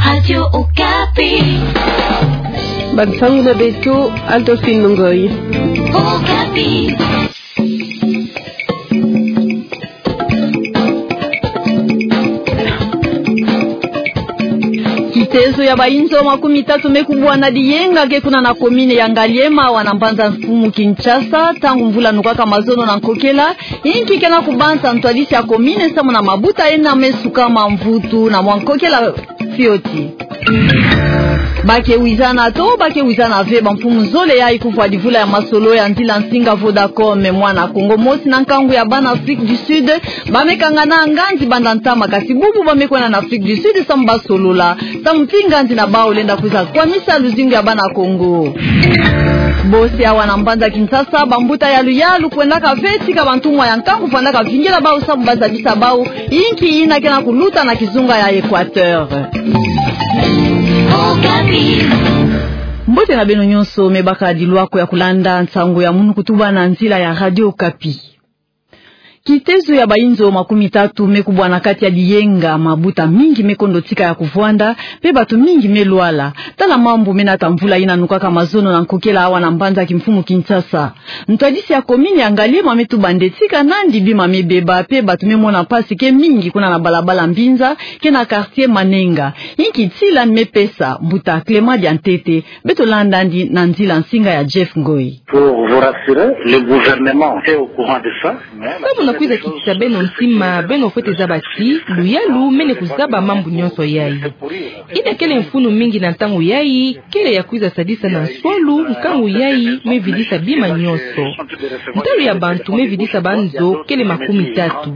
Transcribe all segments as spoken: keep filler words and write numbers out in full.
Radio Okapi. Bansangu na beto, Adolphine Ngoyi. Okapi. Kitezo ya bainzo makumi tatu me kubwana diyenga ke kuna na commune ya Ngaliema, awa na mbanza mfumu Kinshasa, ntangu mvula nukaka mazono na nkokela, inki ke na kubanza ntwadisi ya commune samu na mabuta ena me sukama mvutu na mwa nkokela fioti. Ba ke wizana to ba ke wizana ve, bamfumu zole yayi kuvwa livula ya masolo ya nzila nsinga Vodacom. Mwana Kongo mosi na nkangu ya bana Afrique du Sud ba me kangana nganzi banda ntama, kasi bubu ba me kwenda na Afrique du Sud samu ba solola, samu ti nganzi na bau lenda kwiza kwamisa luzingu ya bana Kongo. Bosi awa na mbanza Kinshasa, bambuta ya luyalu kwendaka ve tika bantumwa ya nkangu vandaka vingila bau samu ba zabisa bau inki ina ke na kuluta na kizunga ya Equateur. Mbote na beno nyonso me baka dilwako ya kulanda nsangu ya munu kutuba na nzila ya Radio Okapi. Kitezo ya bainzo makumi tatu me kubwana kati ya diyenga, mabuta mingi me kondo tika ya kuvwanda, pe batu mingi me lwala. Tala mambu me nata mvula ina nukaka mazono na nkokela awa na mbanza kimfumu Kinshasa. Ntwadisi ya commune ya Ngaliema me tuba nde tika nandi bima me beba, pe batu me mona mpasi ke mingi kuna na balabala Mbinza ke na quartier Manenga. Inki tila me pesa? Mbuta Clément Diantete. Beto landa yandi na nzila nsinga ya Jeff Ngoyi. Pour vous rassurer, le gouvernement est au courant de ça. Samu na kwiza kitisa beno ntima, beno fwete zaba ti luyalu mene kuzaba mambu nyonso yayi. Ina kele mfunu mingi na ntangu yayi, kele ya kwiza sadisa na nswalu nkangu yayi me vidisa bima nyonso. Ntalu ya bantu me vidisa banzo kele makumi tatu.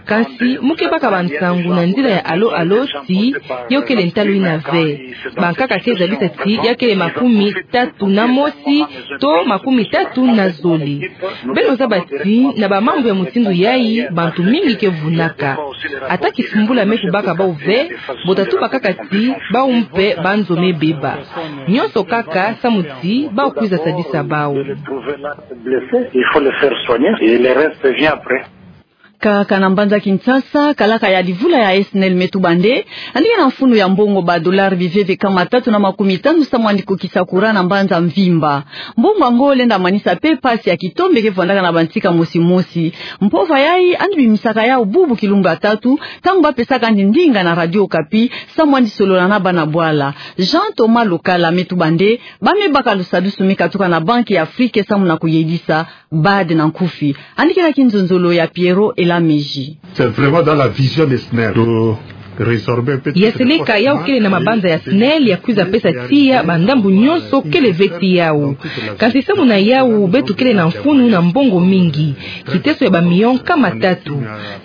Kansi mu ke baka bansangu na nzila ya Allô Allô ti yo kele ntalu ina ve. Bankaka ke zabisa ti ya kele makumi tatu na mosi to makumi tatu na zole. Beno zaba ti na bamambu ya mutindu yayi, bantu mingi ke vunaka. Ata kisumbula me kubaka bau ve, bo ta tuba kaka ti bau mpe banzo me beba. Nyonso kaka samu ti bau kwiza sadisa bau. Il faut le faire soigner et le reste vient après. Kaka na mbanza Kinshasa, kalaka ya livula ya SNEL me tuba nde yandi ke na mfunu ya mbongo ba dollars biveve kama tatu na makumi tanu samu yandi kokisa courant na mbanza mvimba. Mbongo yango lenda manisa pe mpasi ya kitombe ke vwandaka na bantika mosi mosi. Mpova yayi yandi bimisaka yau bubu kilumbu ya tatu, ntangu ba pesaka yandi ndinga na Radio Okapi samu yandi solola na bana bwala. Jean Thomas Lokala me tuba nde ba me baka lusadusu me katuka na Banque ya Afrique samu na kuyedisa BAD na nkufi. Yandi ke na kinzonzolo ya Pierrot Elameji. C'est vraiment dans la vision de SNEL de résorber un peu. Ya seleka yau kele na mabanza ya SNEL ya kwiza pesa tiya bandambu nyonso kele ve ti yau. Kansi samu na yau beto kele na mfunu na mbongo mingi. Kiteso ya ba millions kama tatu.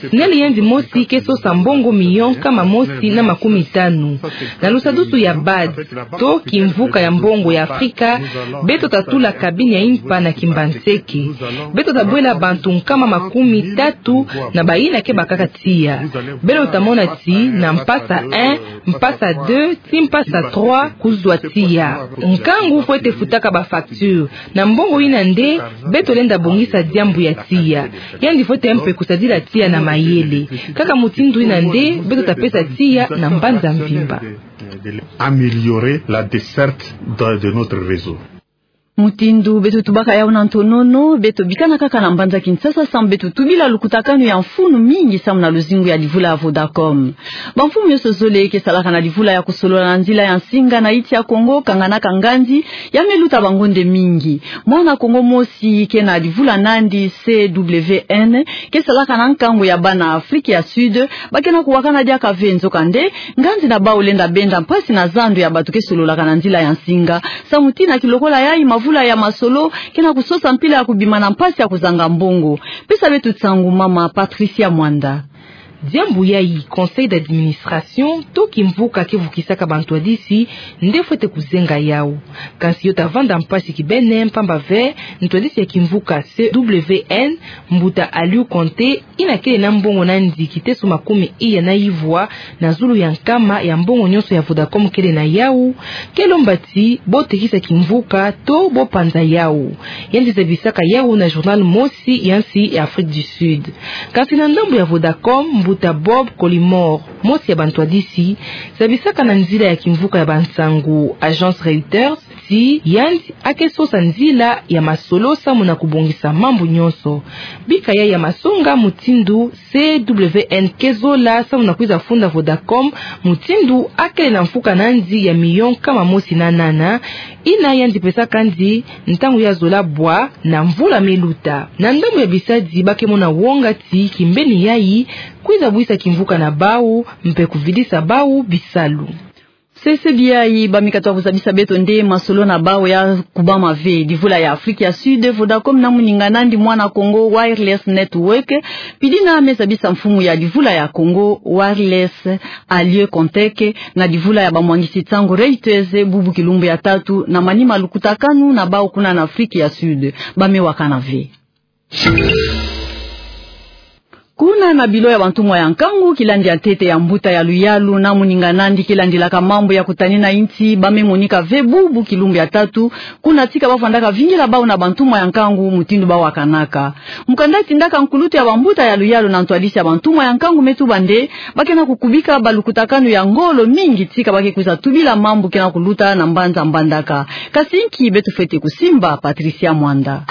SNEL yandi mosi ke sosa mbongo millions kama mosi na makumi tanu. Na lusadusu ya BAD to kimvuka ya mbongo ya Afrika, beto ta tula cabine ya impa na Kimbanseke. Beto ta bwela bantu nkama makumi tatu na bayina ke bakaka tiya. Beno ta mona ti na mpasa un, mpasa deux, ti mpasa trois kuzwa tiya. Nkangu fwete futaka ba facture. Na mbongo ina nde beto lenda bongisa diambu ya tiya. Yandi fwete mpe kusadila tiya na mayele. Kaka mutindu ina nde beto ta pesa tiya na mbanza mvimba. Améliorer la desserte de, de notre réseau. Mutindu beto tubaka yau na ntonono, beto bikana kaka na mbanza Kinshasa samu beto tubila lukutakanu ya mfunu mingi samu na luzingu ya livula ya Vodacom. Bamfumu nyonso zole ke salaka na livula ya kusolola na nzila ya nsinga na insi ya Kongo, kanganaka nganzi ya me luta bangonde mingi. Mwana Kongo mosi ke na livula na yandi C W N, ke salaka na nkangu ya bana Afrique ya Sud, ba ke na kuwakana diaka ve, nzokande nganzi na bau lenda benda mpasi na zandu ya bantu ke sololaka na nzila ya nsinga. Samu ti na kilokola yayi mavula ya masolo ke na kusosa mpila ya kubima na mpasi ya kuzanga mbongo. Pesa beto nsangu, mama Patricia Mwanda. Diambu yayi conseil d'administration to kimvuka ke vukisaka bantwadisi nde fwete kuzenga yau. Kansi yo ta vanda mpasi kibeni, mpamba ve ntwadisi ya kimvuka C W N, mbuta Aliou Konté, ina kele na mbongo na yandi kiteso makumi iya na ivwa na zulu ya nkama ya mbongo nyonso ya Vodacom kele na yau, ke lomba ti bo tekisa kimvuka to bo panza yau. Yandi zabisaka yau na journal mosi ya nsi ya Afrique du Sud. Kansi na ndambu ya Vodacom, Mbuta Bob Collymore, mosi ya bantwadisi zabisaka na nzila ya kimvuka ya bansangu, Agence Reuters, ti yandi ake sosa nzila ya masolo samu na kubongisa mambu nyonso. Bika yayi ya masonga mutindu C W N ke zola samu na kwiza funda Vodacom, mutindu akele na mfuka nandi ya milion nkama mosi na nana, ina yandi pesaka ndi ntangu ya zola bwa na mvula me luta. Na ndambu ya bisadi ba ke mona wonga ti kimbeni yayi kwiza bwisa kimvuka na bau mpe kuvidisa bau bisalu. Sese biai, ba me katuka kuzabisa beto nde masolo na bau ya kubama ve. Divula ya Afrique ya Sud, Vodacom na moninga nandi Mwana Kongo Wireless Network, pidina me zabisa mfumu ya divula ya Kongo Wireless Alieu Contec, na divula ya bamwangisi nsangu Reuters bubu kilumbu ya tatu, na manima lukutakanu na bau kuna na Afrique ya Sud. Ba me wakana ve. Kuna na bilo ya bantumwa ya nkangu, kilandi ya ntete ya mbuta ya luyalu na moninga nandi ke landilaka mambu ya kutanina insi, ba me monika ve bubu kilumbu ya tatu, kuna tika ba vandaka vingila bau na bantumwa ya nkangu mutindu ba wakanaka. Mukanda tindaka nkulutu ya bambuta ya luyalu na ntwadisi ya bantumwa ya nkangu me tuba nde ba ke na kukubika balukutakanu ya ngolo mingi tika ba ke kwiza tubila mambu ke na kuluta na mbanza mbandaka. Kasi nki beto fwete kusimba? Patricia Mwanda.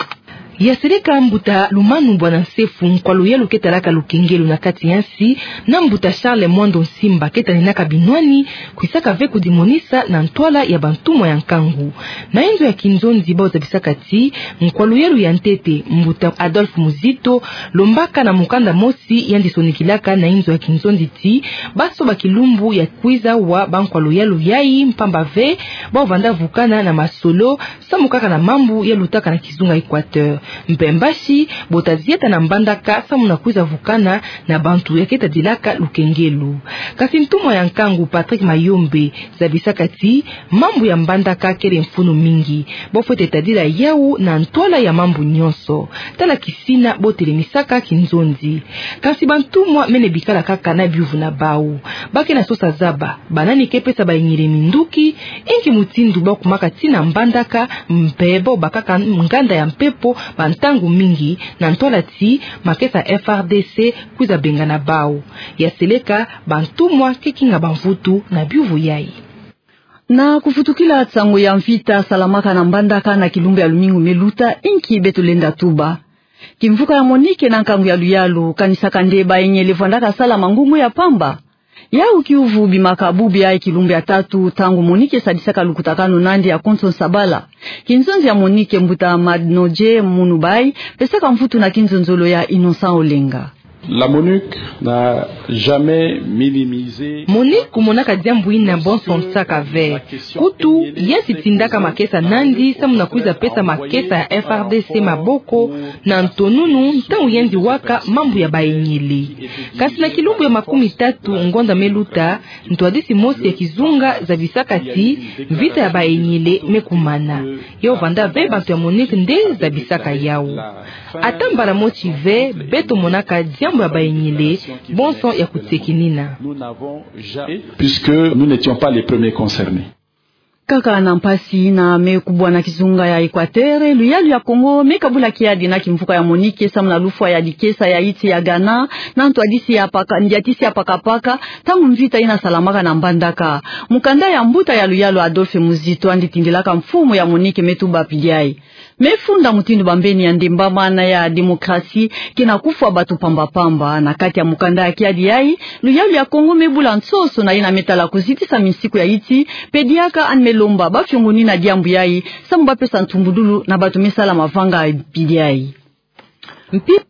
Ya seleka mbuta Lumanu Bwana Nsefu, nkwa luyalu ke talaka lukengelo na kati ya nsi, na mbuta Charles Mwando Nsimba ke taninaka binwani, kwisaka ve kudimonisa na ntwala ya bantumwa ya nkangu. Na inzo ya kinzonzi bau zabisaka ti nkwa luyalu ya ntete, mbuta Adolphe Muzito, lombaka na mukanda mosi yandi sonikilaka na inzo ya kinzonzi ti ba soba kilumbu ya kwiza wa bankwa luyalu yayi, mpamba ve bau vanda vukana na masolo samu kaka na mambu ya lutaka na kizunga Equateur. Mpe mbasi, bo ta zieta na mbandaka samu na kwiza vukana na bantu ya ke tadilaka lukengelo. Kasi ntumwa ya nkangu Patrick Mayombe zabisaka ti mambu ya mbandaka kele mfunu mingi. Bau fwete tadila yau na ntwala ya mambu nyonso. Tala kisina bau telemisaka kinzonzi. Kasi bantumwa mene bikala kaka na biuvu na bau. Ba ke na sosa zaba banani ke pesa bayengele minduki, inki mutindu bau kumaka ti na mbandaka, mpe bau bakaka nganda ya mpepo bantangu mingi, na ntwala ti makesa F R D C kwiza bengana bau. Ya seleka, bantumwa ke kinga bamvutu na biuvu yayi. Na kuvutukila nsangu ya mvita salamaka na mbandaka na kilumbu ya lumingu me luta, inki beto lenda tuba? Kimvuka ya MONUC na nkangu ya luyalu kanisaka nde bayengele vandaka sala mangungu ya pamba. Yau kiuvu bimaka bubu yayi kilumbu ya tatu, ntangu MONUC sadisaka lukutakanu nandi ya konso nsabala. Kinzonzi ya MONUC, mbuta Madnodje Munubai, pesaka mvutu na kinzonzolo ya Innocent Olenga. La MONUC n'a jamais minimisé. MONUC kumonaka diambu ina bonso nsaka ve. Kutu, ya si tindaka makesa nandi samu na kwiza pesa makesa ya F R D C maboko na ntonunu ntangu yandi waka mambu ya bayengele. Kasi na kilumbu ya makumi tatu ngonda me luta, ntwadisi mosi ya kizunga zabisaka ti mvita ya bayengele me kumana. Yo vanda ve bantu ya MONUC nde zabisaka yau. Ata mbala mosi ve beto monaka diambu ya bayengele, bonso ya kutekinina. Puisque nous n'étions pas les premiers concernés. Kaka na mpasi ina me kubwa na kizunga ya Equateur, luyalu ya Kongo me kabula kiadi na kimvuka ya MONUC samu na lufwa ya dikesa ya iti ya Ghana, na ntwadisi ya paka, ndiatisi ya pakapaka, ntangu mvita ina salamaka na mbandaka. Mukanda ya mbuta ya luyalu Adolphe Muzito, yandi tindilaka mfumu ya MONUC, me tuba pidi yayi. Me funda mutindu bambeni ya ndembamana ya démocratie ke na kufwa bato pamba pamba. Na kati ya mukanda ya kiadi yayi, luyalu ya Kongo me bula nsoso na ina me tala kuzitisa minsiku ya iti, mpe diaka yandi me lomba bafiongonina diambu yayi, samu bapesa ntumbudulu na bato me sala mavanga pidi yayi. Mpi-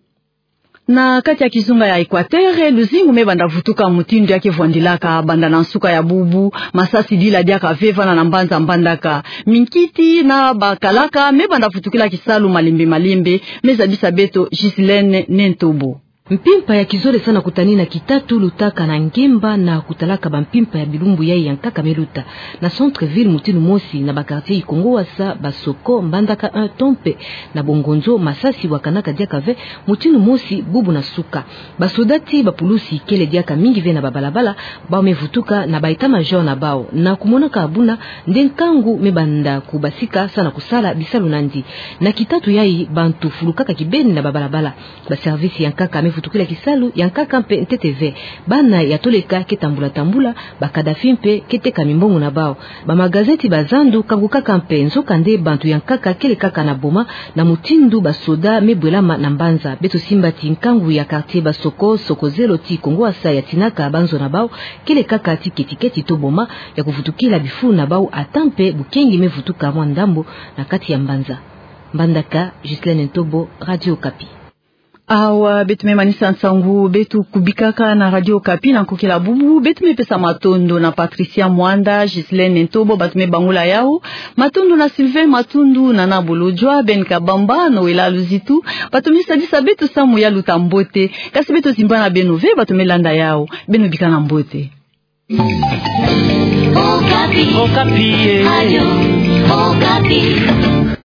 Na kati ya kizunga ya Equateur, luzingu me banda vutuka mutindu ya ke vwandilaka banda na nsuka ya bubu, masasi dila diaka ve vana na mbanza mbandaka. Minkiti na bakalaka me banda vutukila kisalu malembe malembe, me zabisa beto Ghislaine Nentobo. Mpimpa ya kizole sa na kutanina kitatu lutaka na ngemba na kutalaka bampimpa ya bilumbu yayi ya nkaka me luta. Na centre-ville mutindu mosi, na ba quartier Ikongo Wasa, Basoko, Mbandaka un to mpe na Bongonzo, masasi wakanaka diaka ve mutindu mosi bubu na suka. Basoda ti bapulusi kele diaka mingi ve na babalabala, bau me vutuka na ba état-major na bau. Na kumonaka buna nde nkangu me banda kubasika sa na kusala bisalu nandi. Na kitatu yayi bantu fulukaka kibeni na babalabala. Ba service ya nkaka me Vutukila kisalu ya nkaka mpe ntete ve. Bana ya toleka ke tambula tambula, ba Kadhafi mpe ke teka mimbongo na bau. Ba magazeti ba zandu kangukaka mpe, nzokande bantu ya nkaka kele kaka na boma, na mutindu ba soda me bwelama na mbanza. Beto simba ti nkangu ya quartier Basoko, Soko Zelo ti Kongo Asa ya tinaka banzo na bau, kele kaka ti ketiketi to boma, ya kuvutukila bifu na bau ata mpe bukengi me vutuka mwa ndambo na kati ya mbanza. Mbandaka, Ghislaine Ntobo, Radio Okapi. Awa, beto me manisa nsangu beto kubikaka na Radio Okapi na nkokila bubu. Beto me pesa matondo na Patricia Mwanda, Ghislaine Ntobo, bato me bangula yau. Matondo na Sylvain Matundu, Nana Bolodjwa, Ben Kabamba, Noëlla Luzitu. Bato me sadisa beto samu ya luta mbote. Kasi beto zimbana beno ve, bato me landa yau. Beno bikana mbote. Okapi. Okapi, eh. Radio Okapi.